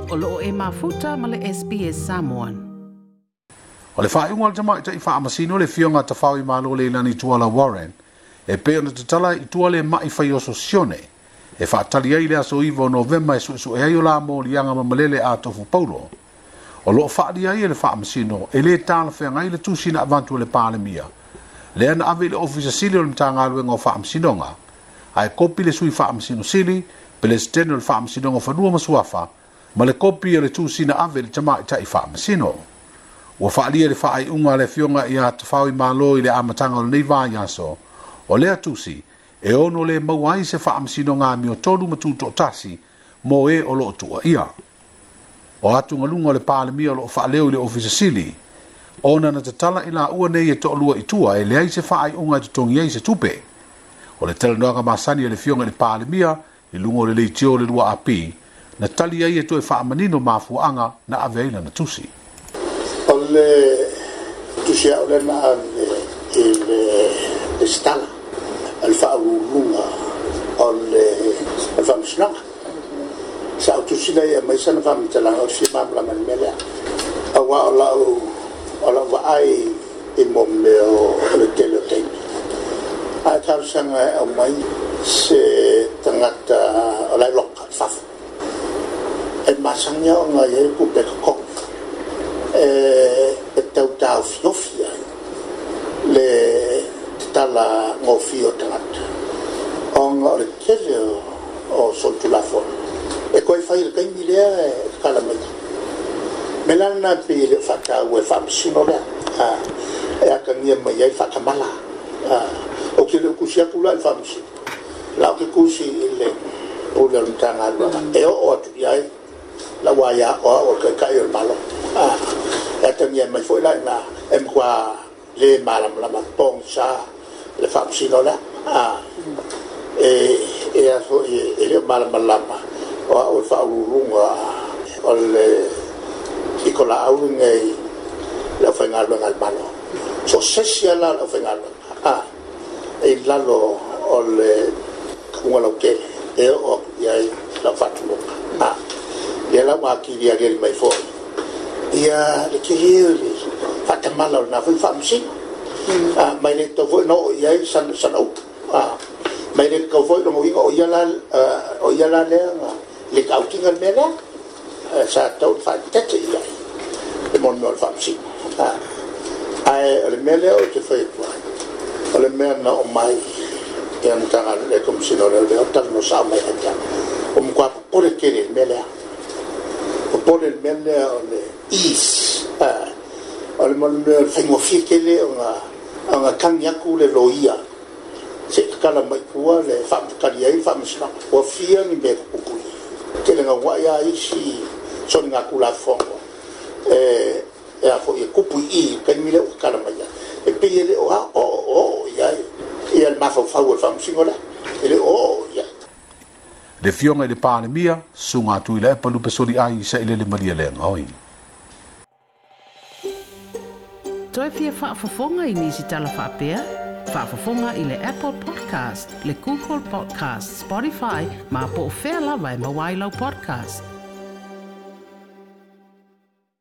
O loo e mafuta ma le SBS Samoan. O le faaiuga a le Tamaitai Faamasino le Afioga Tafaoimalo Leilani Tuala Warren e pei ona tatala i tua le ma'i faioso sione e faatali ai le aso 9 o Novema e suesue ai o la moliaga ma malele a Tofu Paulo. O loo faalia ai e le Faamasino e lē talafeagai le tusi na avatu e le Palemia lea na ave i le Ofisa Sili o le Matagaluega o Faamasinoga ae kopi le Sui Faamasino Sili, Peresetene o le Faamasinoga o Fanua ma Suafa, ma le kopi o le tusi na ave i le Tamaitai Faamasino. Ua faalia le faaiuga a le Afioga ia Tafaoimalo i le amataga o lenei vaiaso. O lea tusi e ono lē maua ai se faamasinoga amiotonu ma tutoatasi mo e o loo tuuaia. O atugaluga o le Palemia o loo faaleo i le Ofisa Sili ona na tatala i laua nei e toalua i tua e leai se faaiuga e totogi ai se tupe. O le talanoaga masani a le Afioga i le Palemia i luga o le leitio o le 2AP na tali ai e toe faamanino mafuaaga na ave ai lana tusi. O le tusi au lea na ave i le resitala a le faauluuluga o le Faamasinoga. Sa ou tusi lea e aumai sana faamatalaga o le fia malamalama i le mea lea. Aua o lau vaai i mea o le tele o taimi. Ae talosaga e aumai se tagata o la e loka i fafo. E masani ona i ai le tupe e totogi. E tau taofiofi ai le tatala gofie o tagata ona o le tele o solitulafono e toe fai i le taimi lea e tatala mai ai. Me la lena pei e le o faataua e faamasino lea e atagia mai ai faatamala. Ou te le o tusi atu la i le faamasino, la ou te tusi i le pule o le Matagaluega e oo atu i ai lau aia o au o le Taitai o le Malo. E atagia mai foi la ina e matua le malamalama pogisa le faamasino lea. E a foi e le o malamalama o au o le faauluuluga o le pitolaau lenei le aufaigaluega a le Malo. So sesi ala o le aufaigaluega e i lalo o le kamuga lautele e oo atu i ai lau faatuluma. Ia la ua atili aliali mai foi ia le tele o le faatamala o lena foi faamasino. Mai le tatau foi na oo i ai sana upu. Mai le tatau foi lona uiga o ia la lea na le tautiga le mea lea. Sa tatau ona faaeteete i ai le mea o le faamasino. Ae o le mea lea ou te fai atu ai, o le mea na oo mai ia Matagaluega le Komesina o Leoleo talanoa sao mai ia te au. Ua matua popole tele i le mea lea. Popole i le mea lea o le ease. O le mea o le faigofie tele ona tagi atu le loia se i tatala mai i tua le faatali ai le faamasinoga. Ua fia ni mea tutupu i tele gauai a isi soligatulafono e a foi e tupu i i taimi lea ua tatala mai ai. E pei e le o oo i ai ia le mafaufau o le faamasino lea. E le o oo i ai. Le Afioga i le Palemia, Susuga Tuilaepa Lupesoli ai Sailele Malielegaoi. Toe fia faafofoga i nisi tala faapea? Faafofoga i le Apple Podcast, le Google Podcast, Spotify, ma po o fea lava e maua ai lau podcast.